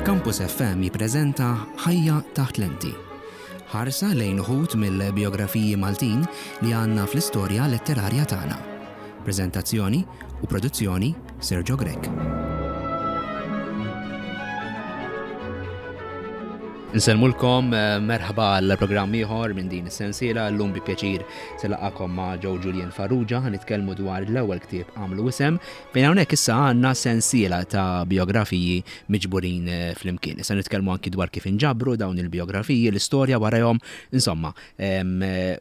Campus FM jippreżenta Ħajja taħt lenti. Ħarsa lejn uħud mill-bijografiji Maltin li għandna fl-istorja letterarja tagħna. Preżentazzjoni u produzzjoni Sergio Grech. Nsellmulkom, eh, merħba għal programm ieħor minn din is-sensiela llum bi pjaċir se laqakom ma' Joe Julian Farrugia nitkellmu dwar l-ewwel ktieb għamlu isem fejn hawnhekk issa għandna sensiela ta' biografiji miġburin eh, flimkien. Issa nitkellmu anki dwar kif inġabru dawn il-biografiji, l-istorja warahom, insomma, eh,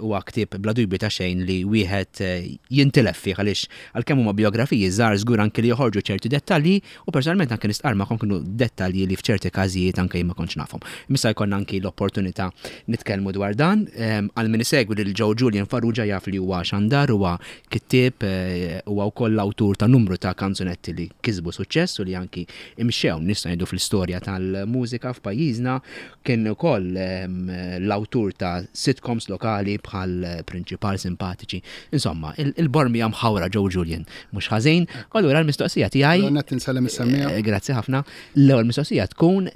huwa ktieb bla dubju ta' xejn li wieħed jintilef fih għaliex għalkemm huma biografiji żgħar żgur anki li joħorġu ċerti dettalji U personalment anke nistqarr magħkom kienu dettalji li f'ċerti każijiet anke jien ma kontx nafhom. Imma jkollna anki l-opportunità nitkellmu dwar dan. Ehm, għal min isegwi lil Joe Julian Farrugia jaf li huwa xandar, huwa kittieb, eh, huwa wkoll l-awtur ta' numru ta' kanzunetti li kisbu suċċess u li anki imxew nista' ngħidu fl-istorja tal-mużika f'pajjiżna. Kien ukoll ehm, l-awtur ta' sitcoms lokali bħal Prinċipal Simpatiċi. Insomma, il-bormija mħawra Joe Julian mhux ħażin. Allura l-mistoqsija tiegħi. Qed insellem is-semmiegħa. Eh, grazzi ħafna. L-ewwel mistoqsija tkun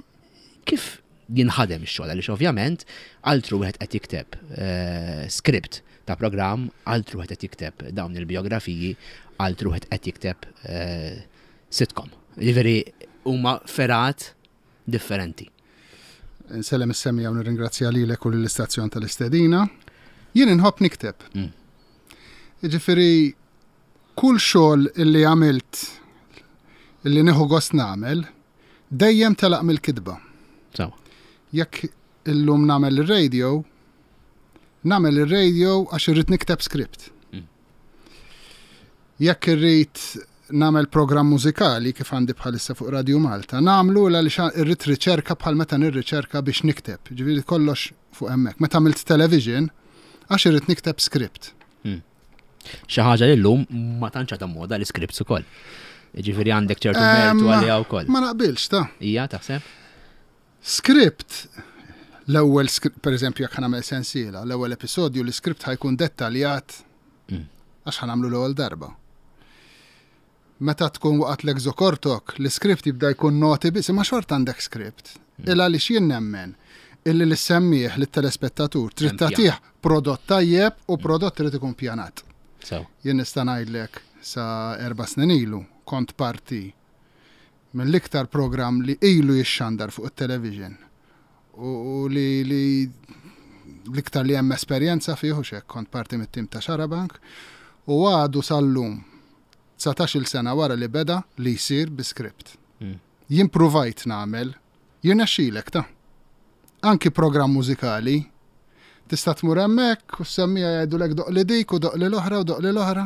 kif jinħadem ix-xogħol għaliex ovvjament altru wieħed qed jikteb eh, script ta' programm, altru wieħed qed jikteb dawn il-biografiji, altru wieħed qed jikteb eh, sitcom. Jiġifieri huma ferat differenti. Insellem is-semmiegħa u nirringrazzja lilek u lill-istazzjon tal-istedina. Jien inħobb nikteb. Mm. Jiġifieri kull xogħol illi għamilt illi nieħu gost nagħmel dejjem telaq mill-kitba. Jekk illum nagħmel ir-radio, nagħmel ir-radio għax irrid nikteb script. Mm. Jekk irrid nagħmel programm mużikali kif għandi bħalissa fuq Radio Malta, nagħmlu għaliex irrid riċerka bħal meta nirriċerka biex nikteb. Ġifieri kollox fuq hemmhekk. Meta għamilt television, għax irrid nikteb script. Hmm. Xi ħaġa li llum ma tantx għadha moda l-scripts ukoll. Ġifieri għandek ċertu mertu għaliha wkoll. Ma naqbilx ta' Ija taħseb? Script l-ewwel per eżempju jekk nagħmel sensiela, l-ewwel episodju l-iskript ħajkun dettaljat mm. għax ħanamlu l-ewwel darba. Meta tkun waqgħet l-exokortok, l-iskript jibda jkun noti biss, imma xorta għandek skript. Mm. Il għaliex jien nemmen illi l-semmieħ lit-telespettatur trid tagħtih prodott tajjeb u mm. prodott trid ikun pjanat. Jien nista' ngħidlek sa erba' snin ilu kont parti mill-iktar programm li ilu jixxandar fuq it-television u li li l-iktar li hemm esperjenza fih u xek kont parti mit-tim ta' Xarabank u għadu sal-lum 19-il sena wara li beda li jsir bi script. Mm. Jien pruvajt nagħmel, jirnexxilek ta' anki programm mużikali Tista' tmur hemmhekk u s-semmiegħa jgħidulek doqqli dik u doqqli l-oħra u doqqli l-oħra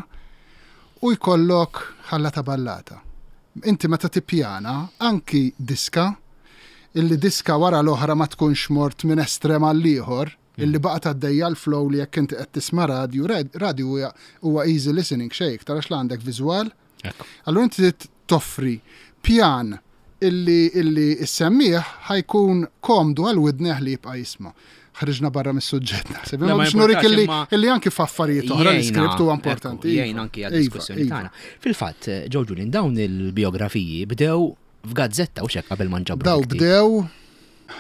u jkollok ħallata ballata. Inti meta tippjana anki diska illi diska wara l-oħra ma tkunx mort minn estrem għall-ieħor, illi baqgħet għaddejja l-flow li jekk inti qed tisma' radju, radju huwa easy listening xejn iktar għax la għandek viżwal, Allura inti trid toffri pjan illi illi s-semmiegħ ħa jkun komdu għal widnejh li jibqa' jisma'. Ħriġna barra mis-suġġett naħseb. Imma biex nurik illi illi anki f'affarijiet oħra l-iskript huwa importanti. Jgħin anki għad-diskussjoni iva, iva. tagħna. Fil-fatt, Joe Julian, dawn il-biografiji bdew f'gazzetta u xek qabel ma nġabru. Daw bdew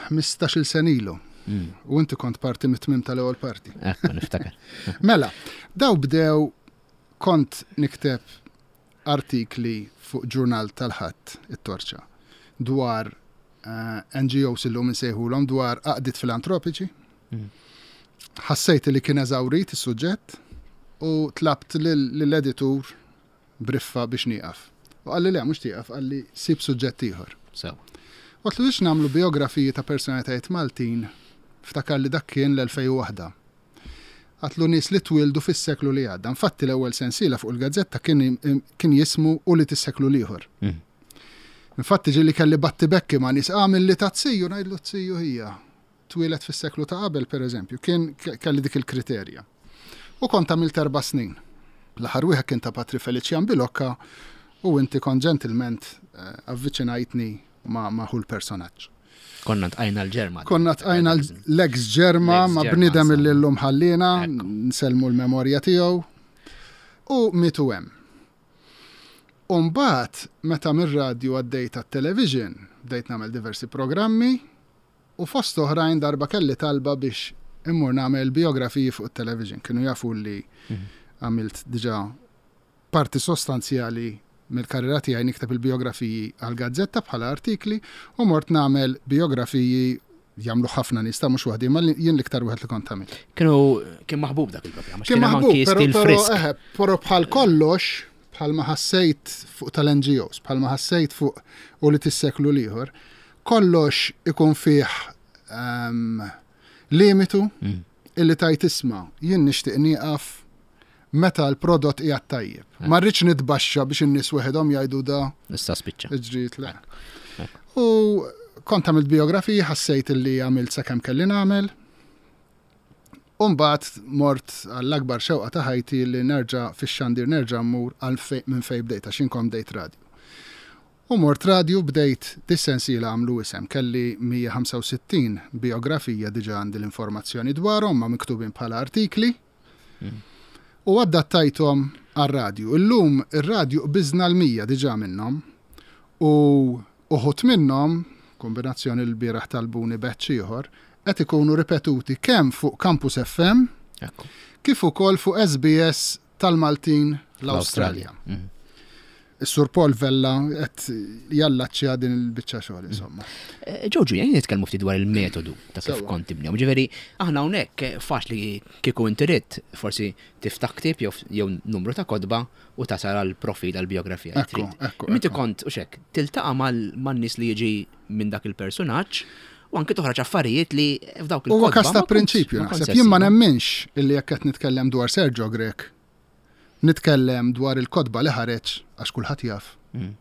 15-il sena ilu. Mm. U inti kont parti mit-tmim tal-ewwel parti. Ekku, niftakar. Mela, daw bdew Kont nikteb artikli fuq ġurnal tal-Ħadd, it-Torċa, dwar NGOs illum insejħulhom dwar għaqdiet filantropiċi. Ħassejt li kien eżawrit is-suġġett u tlabt lill-editur briffa biex nieqaf. U qalli le, mhux tieqaf, qalli sib suġġett ieħor. Sew. Għedtlu biex nagħmlu bijografiji ta' personalitajiet Maltin, ftakar li dak kien l-2001. Qatlu nies li twieldu fis-seklu li għadda. Infatti l-ewwel sensiela fuq il-gazzetta kien kien jismu Ulied is-seklu l-ieħor. Mm. Infatti ġieli kelli battibekki ma' nies għamil li ta' ziju ngħidlu ziju hija. Twieled fis-seklu ta' qabel pereżempju, kien kelli dik il-kriterja. U kont għamilt erba' snin. L-aħħar wieħed kien ta' Patri Felician Bilocca u inti kont ġentilment eh, avviċinajtni ma' ma' hu l-personaġġ. Konna tqajna l-ġerma. Konna tqajna l-ex ġerma ma' bnidem illi llum ħallina, nsellmu l-memorja tiegħu. U mietu hemm. U mbagħad meta mir-radju għaddejt għat-television, Bdejt nagħmel diversi programmi u fost oħrajn darba kelli talba biex immur nagħmel bijografiji fuq it-television. Kienu jafu li mhm. għamilt diġà parti sostanzjali mill-karriera tiegħi nikteb il-bijografiji għall-gazzetta bħala artikli u mort nagħmel bijografiji jagħmlu ħafna nies ta' mhux waħdi, ma jien l-iktar wieħed li kont għamilt. Kienu kien maħbub dak il-programm. Kien maħbub, però eħe, però bħal kollox, bħal ma ħassejt fuq tal-NGOs, bħal ma ħassejt fuq u li tisseklu l-ieħor, kollox ikun fih ehm, limitu mm. illi tajt isma' jien nixtieq nieqaf meta l-prodott qiegħed tajjeb. Eh. Ma rridx nitbaxxa biex in-nies weħidhom jgħidu da. Issa spiċċa. Ġrid le. U kont għamilt biografiji, ħassejt li għamilt sakemm kelli nagħmel. U mbagħad mort għall-akbar xewqa ta' ħajti li nerġa' fix-xandir nerġa' mmur għal minn fejn bdejt għax jien kont bdejt radju. U mort radju bdejt dis-sensiela għamlu isem. Kelli 165 bijografija diġà għandi l-informazzjoni dwarhom ma miktubin bħala artikli. U adattajthom għar-radju. Illum ir-radju qbiżna l-100 diġà minnhom u uħud minnhom, kombinazzjoni l-bieraħ talbuni batch ieħor, qed ikunu ripetuti kemm fuq Campus FM kif ukoll fuq SBS tal-Maltin l-Awstralja. Mhm. Is-Sur Paul Vella qed jallaċċja din il-biċċa xogħol insomma. Eh, Ġorġu, jgħin nitkellmu ftit dwar il-metodu ta' kif kont tibni. Ġifieri, aħna hawnhekk eh, faċli kieku inti ridt forsi tiftaħ ktieb jew numru ta' kotba u tasal għal profil għal biografija. Inti kont u xek, tiltaqa' man-nies li jiġi minn dak il-personaġġ u anke toħroġ affarijiet li f'dawk il Huwa każ ta' prinċipju naħseb. Jien ma nemminx illi jekk qed nitkellem dwar Sergio Grech, nitkellem dwar il-kotba li ħareġ għax kulħadd jaf. Mm.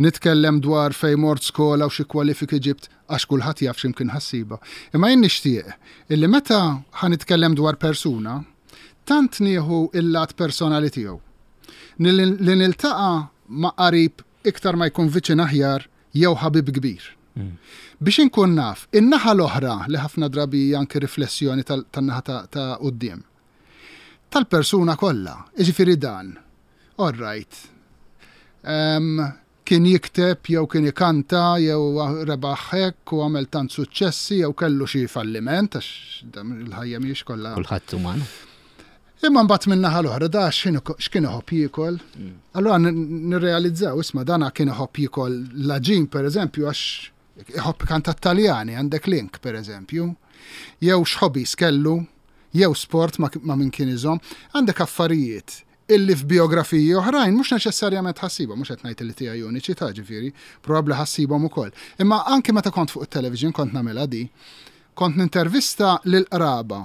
Nitkellem dwar fejn mort skola u xi kwalifiki ġibt għax kulħadd jaf x'imkien ħassiba. Imma jien nixtieq illi meta ħa nitkellem dwar persuna, tant nieħu il-lat personali tiegħu. Li niltaqa' ma' qarib iktar ma jkun viċin aħjar jew ħabib kbir. Biex inkun naf in-naħa l-oħra li ħafna drabi hija anki riflessjoni tan-naħa ta' quddiem. Tal-persuna kollha, jiġifieri dan. All right. Kien jikteb jew kien ikanta jew rebaħ hekk u għamel tant suċċessi jew kellu xi falliment għax il-ħajja mhijiex kollha. Kulħadd uman. Imma mbagħad min-naħa l-oħra da x'kien iħobb jiekol. Mm. Allura nirrealizzaw isma' dana kien iħobb jiekol l-aġin pereżempju għax iħobb kanta Taljani għandek link pereżempju. Jew x'ħobis kellu, jew sport ma' min kien iżomm. Għandek affarijiet illi f'biografiji oħrajn mhux neċessarjament ħassibhom, mhux qed ngħid li tiegħi uniċi ta' ġifieri, probabbli ħassibhom ukoll. Imma anki meta kont fuq it-television kont nagħmilha di, Kont nintervista lill-qraba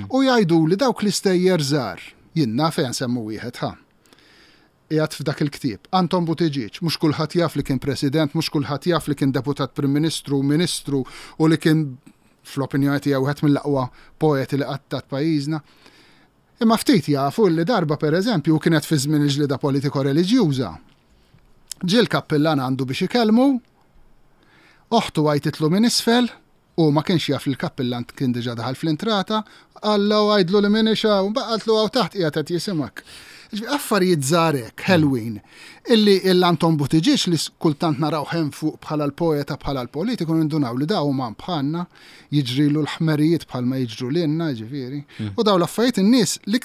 u jgħiduli dawk l-istejjer żgħar. Jien naf ejja nsemmu wieħed ħa. Qiegħed f'dak il-ktieb. Anton Buttigieg, mhux kulħadd jaf li kien President, mhux kulħadd jaf li kien Deputat Prim Ministru, Ministru u li kien fl-opinjoni tiegħi wieħed mill-aqwa poeti li qatt tat pajjiżna. Imma ftit jafu li darba pereżempju, u kienet fi żmien il-ġlieda politiko-reliġjuża, ġie l-kappillan għandu biex ikellmu, oħtu għajtitlu minn isfel, Hu ma kienx jaf li l-kappillan kien diġà daħal fl-intrata, qallha u għidlu li m'iniex hawn, mbagħad qaltlu hawn taħt qiegħed qed jisimgħek. Jiġifieri affarijiet żgħar hekk, ħelwin, illi l-Anton Buttigieg li kultant narawh hemm fuq bħala l-poeta bħala l-politiku nindunaw li da uman bħalna, jiġrilu l-ħmerijiet bħalma jiġru lilna, jiġifieri. U dawn l-affarijiet in-nies li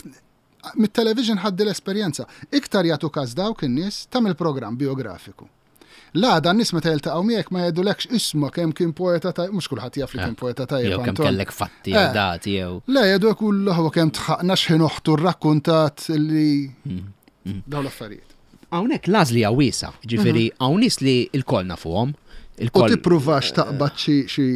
mit-television ħaddi l-esperjenza. Iktar jagħtu każ dawk in-nies ta' mill-programm biografiku. L-għada n-nies meta jiltaqgħu miegħek ma jgħidulekx isma' kemm kien poeta tajjeb, mhux kulħadd jaf li kien poeta tajjeb. Jew kemm kellek fatti jew eh. dati jew. Le jgħidu hekk u l kemm tħaqna x'ħin oħtu rrakkuntat li mm, mm. dawn l-affarijiet. Hawnhekk l-għażli hija wiesa, ġifieri mhm. hawn nies li l-koll nafuhom. U tippruvax taqbad xi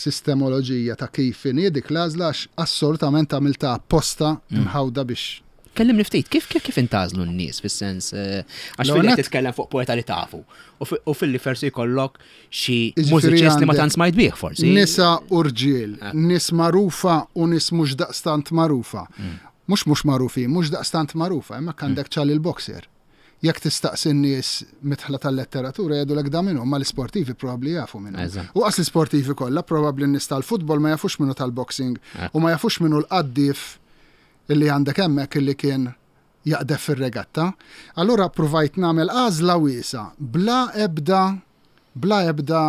sistemoloġija ta' kif inhi dik l-għażla għax assolutament għamiltha apposta mm. imħawda biex Kellimni ftit, kif kif kif intażlu n-nies fis-sens eh, għax fil titkellem fuq poeta li tafu u fil-li forsi jkollok xi mużiċist li ma tant smajt bih forsi. Nisa u rġiel, eh. nies magħrufa u nies mhux daqstant magħrufa. Mm. Mhux mhux magħrufin, mhux daqstant magħrufa, hemmhekk mm. għandek ċali l-boxer. Jekk tistaqsi n-nies midħla tal-letteratura jgħidulek da min hu, imma l-isportivi probabbli jafu min hu. U qas l-isportivi kollha, probabbli n-nies tal-futbol ma jafux min hu tal-boxing u ma jafux min hu l-qaddief illi għandek hemmhekk illi kien jaqdef fir-regatta. Allura ppruvajt nagħmel għażla wiesgħa bla ebda. Bla ebda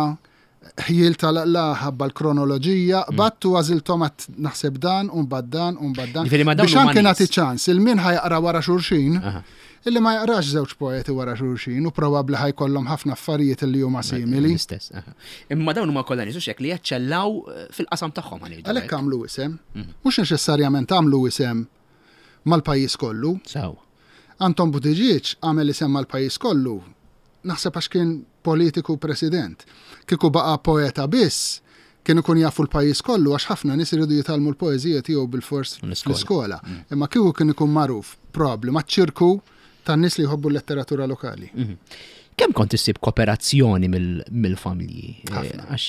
ħjiel ta' la ħabba l-kronoloġija, qbadt u għażilthom għad naħseb dan u mbagħad dan u mbagħad dan. Ġifieri ma dawn Biex huma anke nies. nagħti ċans il min ħa jaqra wara xulxin, illi ma jaqrax żewġ poeti wara xulxin u probabbli ħa jkollhom ħafna affarijiet illi huma simili. L-istess. aha. Imma dawn huma kollha nies hux hekk li jaċċellaw eh, fil-qasam tagħhom ħa ngħidu Għalhekk hekk. għamlu isem. Mhux neċessarjament għamlu isem mal-pajjiż kollu. Sew. Anton Buttigieg għamel isem mal-pajjiż kollu, naħseb għax kien politiku president. Kieku baqa' poeta biss, kien ikun jafu l-pajjiż kollu għax ħafna nies iridu jitgħallmu l-poeżija tiegħu bilfors L-iskola. fl-iskola. Imma kieku kien ikun magħruf probabbli maċ-ċirku tan-nies li jħobbu l-letteratura lokali. Kemm kont issib kooperazzjoni mill-familji? Eh, Ħafna. Għax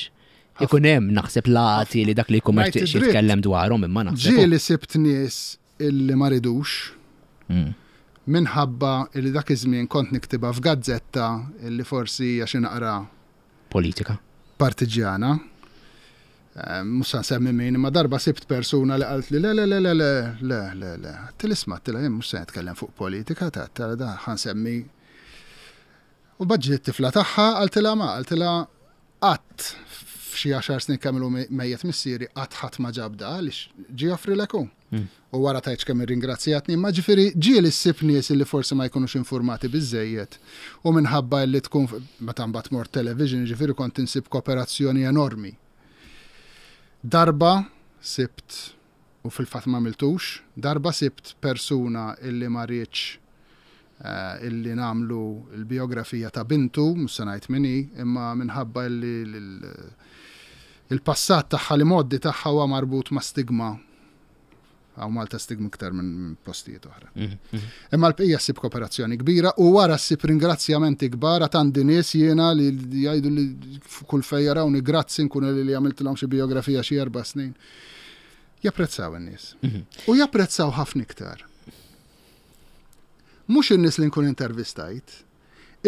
ikun hemm naħseb lati li dak li jkun ma Ngħid jixtieqx id-dritt. jitkellem dwarhom imma naħseb. Ġieli sibt nies illi ma ridux minħabba illi dak iż-żmien kont niktibha f'gazzetta illi forsi hija xi naqra Politika. partiġjana. Eh, Mhux se nsemmi min, imma darba sibt persuna li qalt li le le le le le le le le. Til isma' tila jien mhux se nitkellem fuq politika ta' tala da ħa nsemmi. U baġġiet tifla tagħha qaltilha ma qaltilha qatt f'xi għaxar snin kemm ilu mejjet missieri qatt ħadd ma ġabda għaliex ġie joffrilek hu. U wara tgħidx kemm irringrazzjatni, imma ġifieri ġieli ssib nies li forsi ma jkunux informati biżżejjed u minħabba li tkun meta mbagħad mort television, ġifieri kont insib kooperazzjoni enormi. Darba sibt, u fil-fatt ma għamiltux, darba sibt persuna illi ma riedx eh, illi nagħmlu l-biografija ta' bintu, mhux se ngħid min hi, imma minħabba illi il-passat tagħha li moddi tagħha huwa marbut ma' stigma. Hawn Malta stigma iktar minn postijiet oħra. Imma l-bqija ssib kooperazzjoni kbira u wara ssib ringrazzjamenti kbar għad għandi nies jiena li jgħidu li kull fejn jarawni grazzi nkun li li għamiltilhom xi biografija xi 4 snin. Japprezzaw in-nies. U japprezzaw ħafna iktar. Mhux in-nies li nkun intervistajt,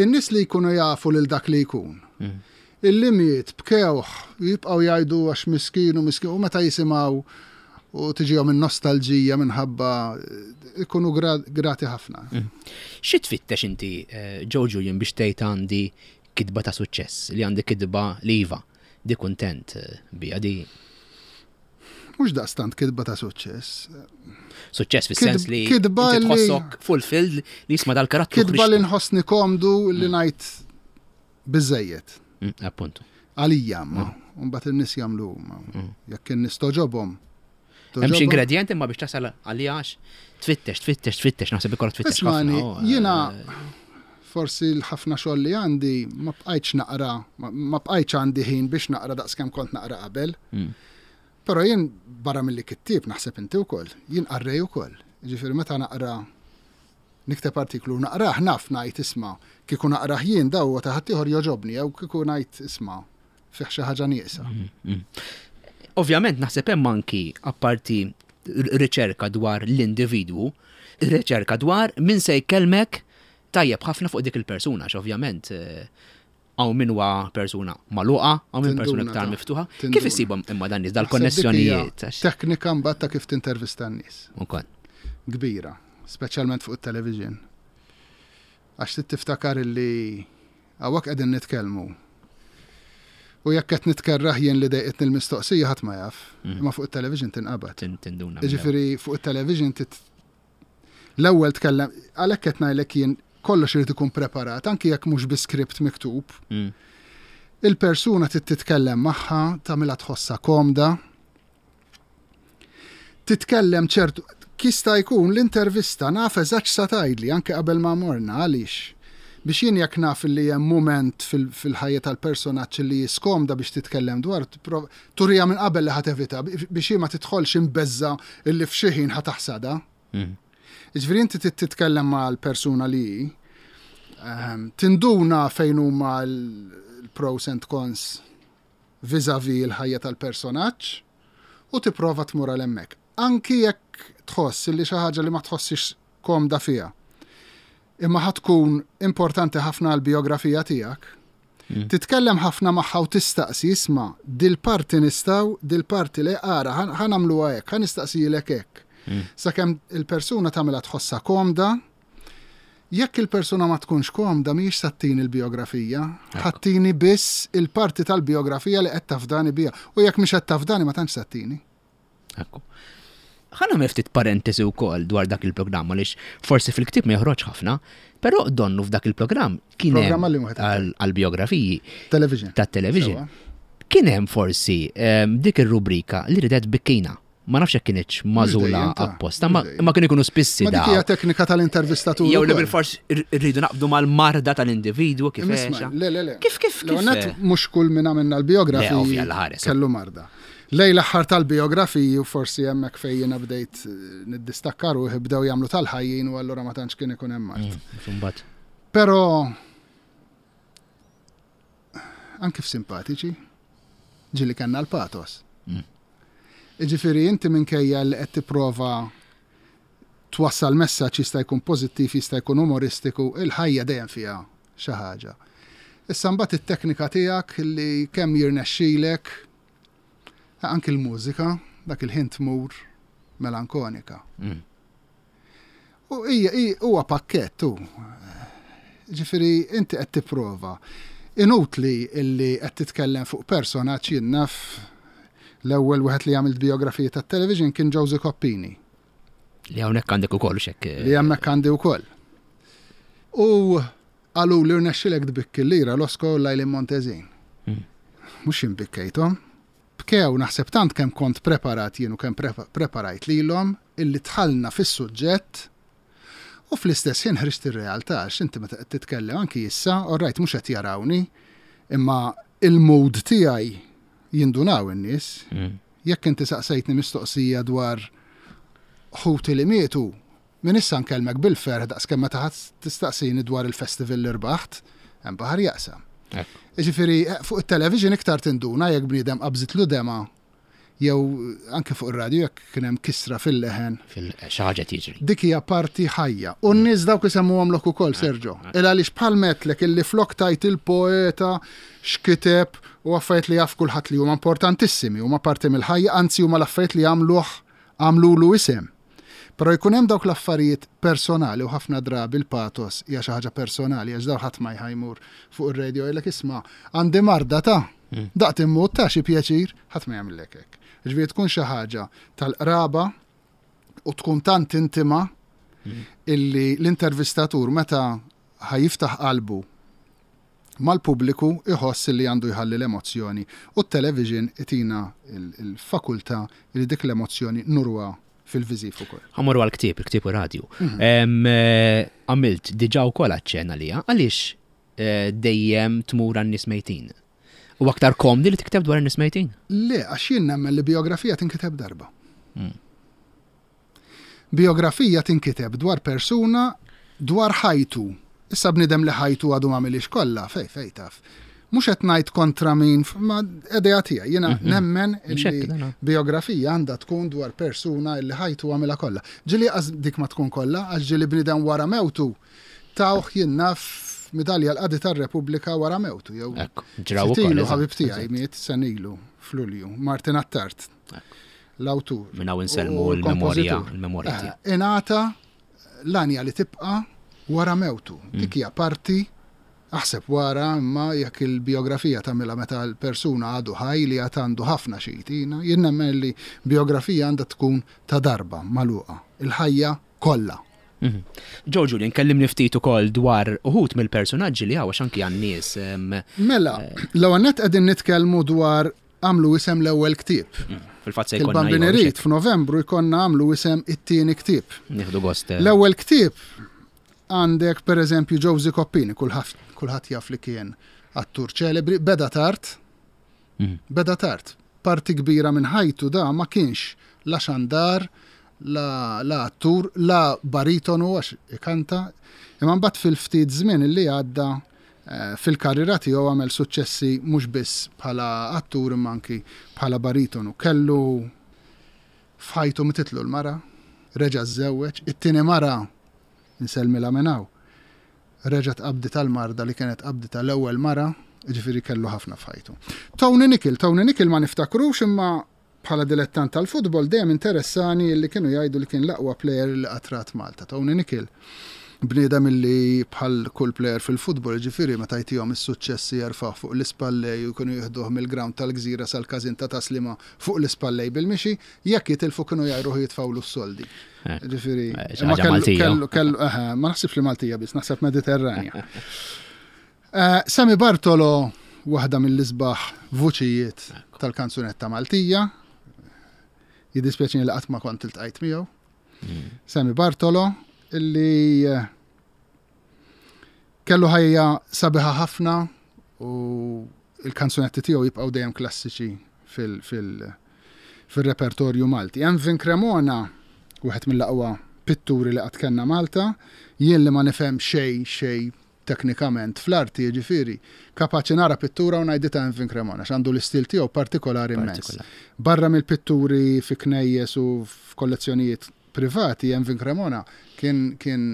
in-nies li jkunu jafu lil dak li jkun. Illi miet bkewh jibqgħu jgħidu għax miskin u miskin u meta jisimgħu u tiġihom in-nostalġija minħabba ikunu grati ħafna. Xi tfittex inti, eh, Joe Julian, biex tgħid għandi kitba ta' suċċess, li għandi kitba li iva, di kuntent eh, bija di Mhux daqstant kitba ta' suċċess. suċċess fis-sens li Kitba inti li- tħossok fulfilled li jisma' dal-karattru Kitba li ħriġtu. nħossni komdu li ngħid biżejjed. Appuntu. Għalija ma, mbagħad in-nies jagħmlu huma. Jekk in-nies toġobhom. Hemm xi ingredient imma biex tasal għalija għax tfittex, tfittex, tfittex, naħseb ikollok tfittex ħafna. Ismani, oh, jiena forsi l-ħafna xogħol li għandi ma bqajtx naqra, ma bqajtx għandi ħin biex naqra daqskemm kont naqra qabel. Però jien barra milli kittieb naħseb inti wkoll, jien qarrej ukoll. Ġifieri meta naqra nikteb artiklu u naqrah naf ngħid isma' kieku naqrah jien daw huwa ta' ħaddieħor jogħġobni jew kieku ngħid isma' fih xi ħaġa nieqsa. Ovvjament naħseb hemm anki apparti riċerka dwar l-individwu, riċerka dwar min se jkellmek tajjeb ħafna fuq dik il-persuna, għax ovvjament eh, hawn min huwa persuna magħluqa, hawn min persuna Tinduna iktar ta' miftuħa. Tinduna. Kif issibhom imma dan nies Naħseb dik hija dal-konnessjonijiet? għax- Teknika mbagħad ta' kif tintervista n-nies. Ukoll. Kbira, speċjalment fuq it-television. Għax trid tiftakar illi hawnhekk qegħdin nitkellmu. U jekk qed nitkerraħ jien li dejqitni l-mistoqsija ħadd ma jaf, imma fuq it-television tinqabad. Tinduna. Jiġifieri fuq it-television tit l-ewwel tkellem għalhekk qed ngħidlek jien kollox irid ikun preparat, anki jekk mhux bi script miktub. Il-persuna trid titkellem magħha, tagħmilha tħossha komda. Titkellem ċertu kista jkun l-intervista naf eżatt x'sa tgħidli anke qabel ma morna għaliex. Biex jien jekk naf li hemm mument fil-ħajja tal-personaġġ li jiskomda biex titkellem dwar, turija minn qabel li ħa tevita biex hi ma tidħolx imbeżza illi f'xi ħin ħa taħsada. Jiġifieri inti trid titkellem mal-persuna li hi, tinduna fejn huma l-pros and cons vis-a-vis il-ħajja tal-personaġġ u tipprova tmur għal hemmhekk. Anki jekk tħoss li xi ħaġa li ma tħossix komda fiha. Imma ħa tkun importanti ħafna għall-biografija tiegħek. Titkellem ħafna magħha u tistaqsi, isma' dil-parti nistgħu, dil-parti le ara, ħa nagħmluha hekk, ħa nistaqsilek hekk. Sakemm il-persuna tagħmilha tħossha komda, Jekk il-persuna ma tkunx komda mhijiex sa ttini l-bijografija, ħa ttini biss il-parti tal-bijografija li qed tafdani biha. U jekk mhix qed tafdani ma tantx sa ttini. Ekku. Ħa nagħmel ftit parentesi wkoll dwar dak il-programm għaliex forsi fil-ktieb ma joħroġ ħafna, però donnu f'dak il-programm kien hemm għall-bijografiji. Television. Tat-television. Kien hemm forsi ehm, dik ir-rubrika li ridet bikkina. Ma nafx jekk kinitx magħżula apposta, ma kienu jkunu spissi. Ma dik hija teknika tal-intervistatur. Jew li bil-fors irridu naqbdu mal-marda tal-individwu kif Le, le, le. Kif kif kif. Mhux kull min għamilna l-biografiji kellu marda. Lej l-aħħar tal-biografiji u forsi hemmhekk fejn jiena bdejt eh, niddistakka ruħi bdew jagħmlu tal-ħajjin u allura ma tantx kien ikun hemm mard. Mm, Però anki f'simpatiċi, ġili kellna l-patos. Mm. Iġifieri inti minkejja li qed tipprova twassal messaġġ jista' jkun pożittiv, jista' jkun umoristiku, il-ħajja dejjem fiha xi ħaġa. Issa mbagħad it-teknika tiegħek li kemm jirnexxilek anki l-mużika dak il-ħin tmur melankonika. Mm. U hija huwa pakkett hu. Ġifieri inti qed tipprova. Inutli illi qed titkellem fuq personaġġ jien naf l-ewwel wieħed li għamilt biografija tat-television kien Josie Coppini. Li hawnhekk għandek ukoll xek. Eh, li hemmhekk għandi wkoll. U qalu li rnexxilek tbikki l-lira Losko u Lajlin Montezin. Hmm. Mhux inbikkejthom. Bkew naħseb tant kemm kont preparat jien u kemm preparajt lilhom illi dħalna fis-suġġett u fl-istess ħin ħriġt ir-realtà għax inti meta qed titkellem anki issa, all right mhux qed jarawni, imma il-mood tiegħi jindunaw in-nies. Jekk inti saqsejtni mistoqsija dwar ħuti li mietu, Minn issa nkellmek bil-ferħ daqskemm meta ħadd tistaqsini dwar il-festival li rbaħt, hemm baħar jaqsam. Jiġifieri eh, fuq it-television iktar tinduna jekk bniedem qabżitlu dema jew anke fuq ir-radju jekk kien hemm kisra fil-leħen. Xi ħaġa tiġri. Dik hija parti ħajja. U n-nies dawk isemmuhomlok ukoll, Sergio. Il għaliex bħal metlek illi flok tajt il-poeta x'kiteb u affarijiet li jaf kulħadd li huma importantissimi, huma parti mill-ħajja, anzi huma l-affarijiet li għamluh għamlulu isem. Però jkun hemm dawk l-affarijiet personali u ħafna drabi l-pathos hija xi ħaġa personali għax dawn ħadd ma ħa jmur fuq ir-radio jgħidlek isma' għandi marda ta' daqt immut ta' xi pjaċir, ħadd ma jagħmillek hekk. Ġifieri tkun xi ħaġa tal-qraba u tkun tant intima illi l-intervistatur meta ħa jiftaħ qalbu mal-pubbliku jħoss li għandu jħalli l-emozzjoni u t-television itina l-fakultà li dik l-emozzjoni nuruha fil-viżiv ukoll. Ħa mmorru għall-ktieb, il-ktieb u radju. Mhm. Għamilt diġà wkoll aċċenn għaliha, għaliex eh, dejjem tmur għan-nies mejtin? U aktar komdi li tikteb dwar in-nies mejtin? Le, għax jien nemmen li bijografija tinkiteb darba. Mm. Bijografija tinkiteb dwar persuna, dwar ħajtu. Issa bniedem li ħajtu għadu m'għamilhiex kollha, fejn fejn taf. Mhux qed ngħid kontra min, ma idea tiegħi. Jiena mhm. nemmen li bijografija għandha tkun dwar persuna li ħajtu għamilha kollha. Ġieli qas dik ma tkun kollha, għax ġieli bniedem wara mewtu tawh jien naf midalja l-qadi tar-Repubblika wara mewtu. Jew ġraw ukoll. Ħabib tiegħi miet senilu f'Lulju, Martin Attard. L-awtur. Minn hawn insellmu l-memorja, l-memorja eh, tiegħu. Ingħata l-għanja li tibqa' wara mewtu. Mm. Dik hija parti aħseb wara imma jekk il-biografija tagħmilha meta l-persuna għadu ħaj li għad għandu ħafna xi jtina, jien nemmen li biografija għandha tkun ta' darba magħluqa. Il-ħajja kollha. Mhm. Joe Julian, kellimni ftit ukoll dwar uħud mill-personaġġi li hawn għax anki għan-nies. Mela, eh, l-ewwel nett qegħdin nitkellmu dwar għamlu isem l-ewwel ktieb. Mm, fil-fatt se jkollna. Il-Bambin irid f'Novembru jkollna għamlu isem it-tieni ktieb. Nieħdu gost. Eh. L-ewwel ktieb għandek pereżempju Josie Coppini, kulħadd jaf li kien attur ċelebri, beda tard, mm. beda tard. Parti kbira minn ħajtu da ma kienx la xandar, la, la attur, la baritonu għax ikanta, imma mbagħad fil-ftit żmien li għadda Fil-karriera tiegħu għamel suċċessi mhux biss bħala attur imma anki bħala baritonu. Kellu f'ħajtu mititlu l-mara, reġa' żżewweġ, it-tieni mara, insellmilha minn hawn, reġgħet qabditha l-marda li kienet qabditha l-ewwel mara, jiġifieri kellu ħafna f'ħajtu. Tony Nicol, Tony Nicol ma niftakrux imma bħala dilettant tal-futbol dejjem interessani li kienu jgħidu li kien l-aqwa plejer li qatt rat Malta. Tony Nicol. Bniedem illi bħal kull plejer fil-futbol, jiġifieri meta jtihom is-suċċessi jerfgħuh fuq l-ispallej u jkunu jieħduh mill-grawnd tal-Gżira sal-każin ta' Tas-Sliema fuq l-ispallej bil-mixi, jekk jitilfu kienu jgħajruh u jitfgħulu s-soldi. Jiġifieri, imma kellu, kellu, eħe, ma naħsibx li Maltija biss, naħseb Mediterranja. Sammy Bartolo, waħda mill-isbaħ vuċijiet tal-kanzunetta Maltija. Jiddispjaċini li qatt ma kont iltqajt miegħu. Sammy Bartolo, illi eh, kellu ħajja sabiħa ħafna u il-kanzunetti tiegħu jibqgħu dejjem klassiċi fil-repertorju Malti. Envin Cremona, wieħed mill-aqwa pitturi li qatt kellna Malta, jien li ma nifhem xejn xejn teknikament fl-arti, jiġifieri, kapaċi nara pittura u ngħid ta' Envin Cremona, għax għandu l-istil tiegħu partikolari immens. Barra mill-pitturi fi knejjes u f'kollezzjonijiet privati, Envin Cremona kien kien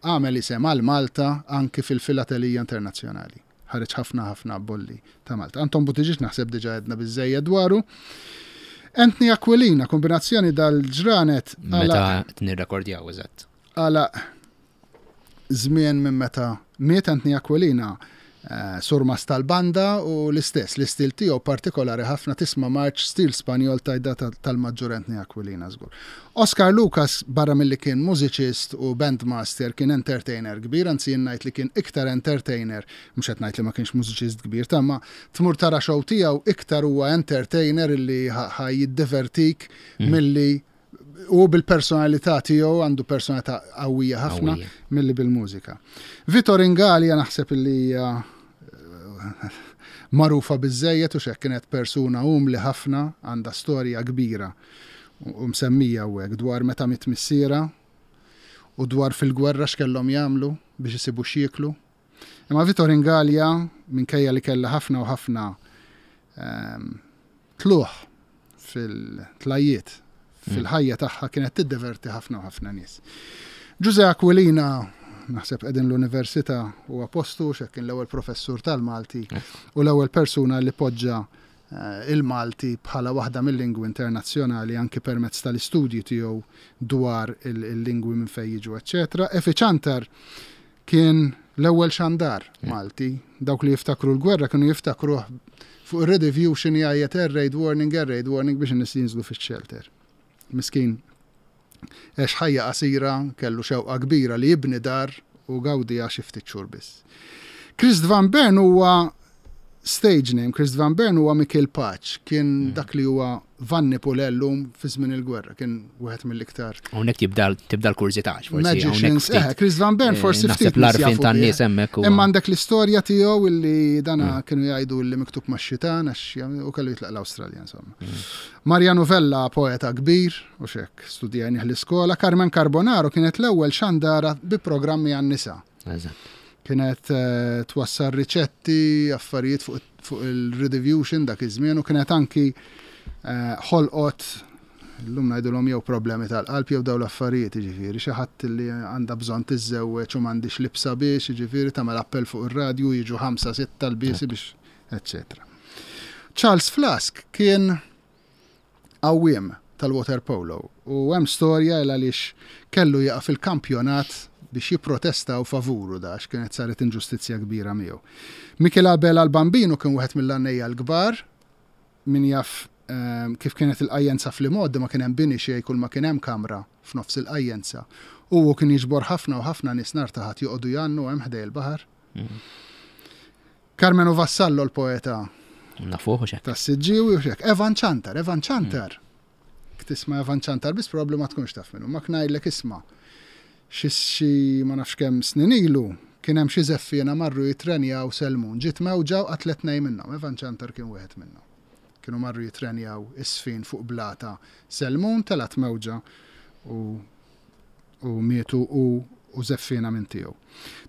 għamel isem għal Malta anki fil-filatelija internazzjonali. Ħareġ ħafna ħafna bolli ta' Malta. Anton Buttigieg naħseb diġà għedna biżżejjed dwaru. Anthony Aquilina, kombinazzjoni dal-ġranet. Meta nirrekordjaw, eżatt. Għalaq żmien minn meta miet Anthony Aquilina eh, surmast tal-banda u l-istess, l-istil tiegħu partikolari ħafna tisma' marċ stil Spanjol tajda tal-maġġur Anthony Aquilina żgur. Oscar Lucas barra milli kien mużiċist u bandmaster kien entertainer kbir, anzi jien ngħid li kien iktar entertainer, mhux qed ngħid li ma kienx mużiċist kbir, ta' ma tmur tara show tiegħu iktar huwa entertainer illi ħa jiddivertik milli u bil-personalità tiegħu għandu personalità qawwija ħafna milli bil-mużika. Vitor Ingalja naħseb li hija eh, magħrufa biżejjed u xek kienet persuna umli ħafna għandha storja kbira u msemmija hawnhekk dwar meta miet missiera u dwar fil-gwerra x'kellhom jagħmlu biex isibu x'jieklu. Imma Vitor Ingalja minkejja li kellha ħafna u ħafna ehm, tlugħ fil-tlajjiet fil-ħajja tagħha kienet tiddeverti ħafna u ħafna nies. Ġuże Aquilina naħseb qegħdin l-università huwa postu x'hekk kien l-ewwel professur tal-Malti u l-ewwel persuna li poġġa eh, il-Malti bħala waħda mill-lingwi internazzjonali anki permezz tal-istudji tiegħu dwar il-lingwi minn fejn jiġu, eċċetera. Efi Ċantar Kien l-ewwel xandar Malti. Dawk li jiftakru l-gwerra kienu jiftakruh fuq ir-Radio x'inhi jgħajjat air raid warning, air raid warning biex in-nies jinżlu fix-shelter. Miskin għex ħajja qasira, kellu xewqa kbira li jibni dar u gawdiha xi ftit xhur biss. Christ van Bern huwa stage name, Christ van Bern huwa Mikiel Paċ, kien mm. dak li huwa Vanni Pulè llum fi żmien il-gwerra, kien wieħed mill-iktar. Hawnhekk tibda tibda l-kurżità, forsi. Magicians, eh, Chris Van Bern eh, forsi ftit. L-arfin tan-nies hemmhekk. Imma għandek l-istorja tiegħu illi dana mm. kienu jgħidu illi miktub max-xitan għax u kellu jitlaq l-Awstralja insomma. Mm. Mariano Vella poeta kbir u xek studjajnih l-iskola, Carmen Carbonaro kienet l-ewwel xandara bi programmi għan-nisa. Kienet eh, twassal riċetti, affarijiet fuq il-Redivision dak iż-żmien u kienet anki eh, ħolqot llum ngħidulhom jew problemi tal-qalb jew dawn l-affarijiet, jiġifieri xi ħadd li għandha bżonn tiżżewweġ u m'għandhiex libsa biex, jiġifieri tagħmel appell fuq ir-radju jiġu ħamsa sitta lbiesi biex eċċetera. Charles Flask kien għawwiem tal-waterpolo u hemm storja il għaliex kellu jieqaf il-kampjonat biex jipprotestaw favuru da għax kienet saret inġustizzja kbira miegħu. Michel Abela l-Bambinu kien wieħed mill-għannejja l-kbar, min jaf ehm, kif kienet il-qajjenza fl-imgħoddi ma kien hemm bini xejn kull ma kien hemm kamra f'nofs il-qajjenza. U hu kien jiġbor ħafna u ħafna nies nhar ta' Ħadd joqogħdu jgħannu hemm ħdej il-baħar. Mm. Karmenu Vassallo l-poeta. Nafuh u xek. Tas-Siġġiewi u xek. Evan Ċantar, Evan Ċantar. Mm. Tisma' Evan Ċantar biss probabbli ma tkunx taf minnu. Ma ngħidlek isma' xi ma nafx kemm snin ilu kien hemm xi żeffiena marru jitrenjaw Selmun. Ġiet mewġa u qatlet tnejn minnhom. Evan Ċantar kien wieħed minnhom. Kienu marru jitrenjaw is-sfin fuq blata Selmun, telgħet mewġa u u mietu hu u żeffiena minn tiegħu.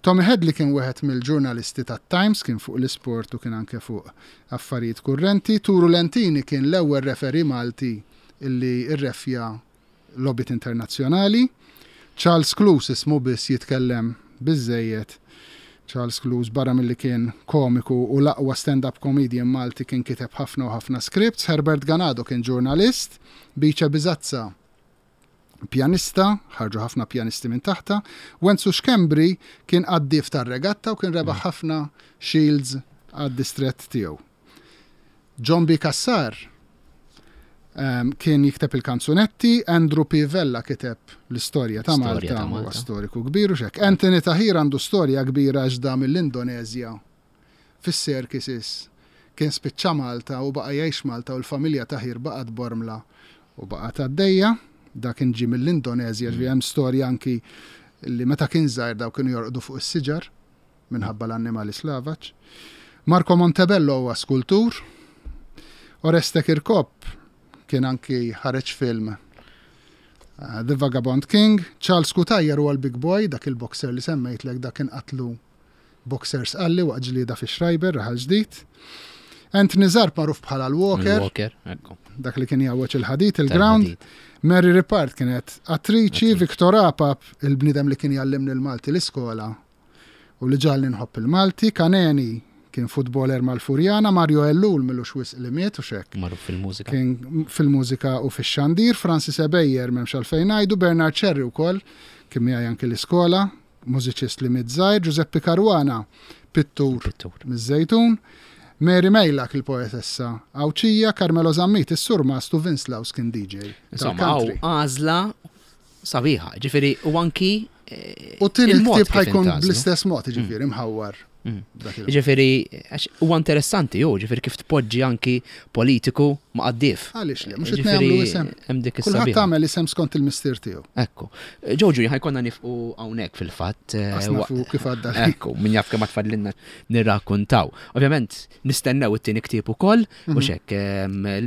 Tommy Hedley kien wieħed mill-ġurnalisti tat-Times, kien fuq l-isport u kien anke fuq affarijiet kurrenti. Turu Lentini kien l-ewwel referee Malti illi rreffja logħbiet internazzjonali. Charles Cluse ismu biss jitkellem biżżejjed. Charles Cluse barra milli kien komiku u l-aqwa stand-up comedian Malti kien kiteb ħafna u ħafna scripts. Herbert Ganado kien ġurnalist. Bice Bisazza. pjanista, ħarġu ħafna pjanisti minn taħta. Wenzu Schembri kien qaddif tar-regatta u kien rebaħ ħafna shields għad-distrett tiegħu. John B. Cassar ehm, kien jikteb il-kanzunetti, Andrew P. Vella kiteb l-istorja ta' Malta, huwa storiku kbir u xek. Anthony Tahir għandu storja kbira għax da mill-Indonezja fis-circuses kien spiċċa Malta u baqa' jgħix Malta u l-familja Tahir baqgħet Bormla u baqgħet għaddejja. Da kien ġie mill-Indonezja, ġifieri hemm storja anki li meta kien żgħir daw kienu jorqdu fuq is-siġar minħabba l-annimali slavaġ. Marco Montebello huwa skultur. Oreste Kirkop kien anki ħareġ film eh, The Vagabond King. Charles Cutajar huwa l-Big Boy, dak il-boxer li semmejtlek dak kien qatlu Boxer Sqalli waqt ġlieda fi Schreiber, Raħal Ġdid. Anthony Zarb magħruf bħala l-Walker. Walker, ekku. Dak li kien jgħawweġ il-ħadid, il-ground. Mary Ripard kienet attriċi, Victor Apap, il-bniedem li kien jgħallimni l-Malti l-iskola u li ġalni nħobb il-Malti, Kaneni kien futboler mal-Furjana, Mario Ellul milux wisq li miet u xek. Magħruf fil-mużika. Kien fil-mużika u fix-xandir, Francis Ebejer m'hemmx għalfejn ngħidu, Bernard Cherry wkoll kien miegħi anki l-iskola, mużiċist li miet żgħir, Giuseppe Caruana, pittur, pittur. miż-Żejtun, Mary Mejlak il-poetessa Għawdxija, Carmelo Zammit is-surmast u Vince Laus kien DJ. Insomma, għażla sabiħa, ġifieri u anki eh, U tieni ktieb ħajkun bl-istess mod, ġifieri mħawwar. Mm. Ġifieri, huwa interessanti ju, ġifieri kif tpoġġi anki politiku ma' qaddif. Għaliex le, mhux qed nagħmlu isem. Hemm dik is Kulħadd tagħmel isem skont il-mistier tiegħu. Ekku. Ġoġu, ħajkonna nifqu hawnhekk fil-fatt. Eh, nafu kif għadda. Ekku, min jaf kemm tfadlinna nirrakkuntaw. Ovvjament, nistennew it-tieni ktieb ukoll, u mhm. xek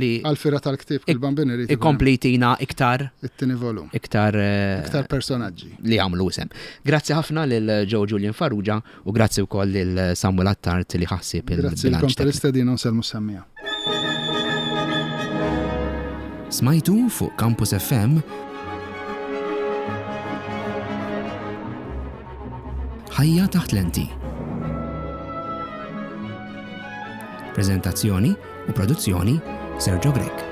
li. Għal-fira tal-ktieb il-bambin irid. Ikompli iktar. It-tieni volum. Iktar. Eh, iktar personaġġi. Li għamlu isem. Grazzi ħafna lil Joe Julian Farrugia u grazzi wkoll lil Samuel Attard li ħassib il-bilanċ. Grazzi lilkom tal-istedina u nsellmu s-semmiegħa. Smajtu fuq Campus FM Ħajja taħt lenti. Prezentazzjoni u produzzjoni Sergio Grech.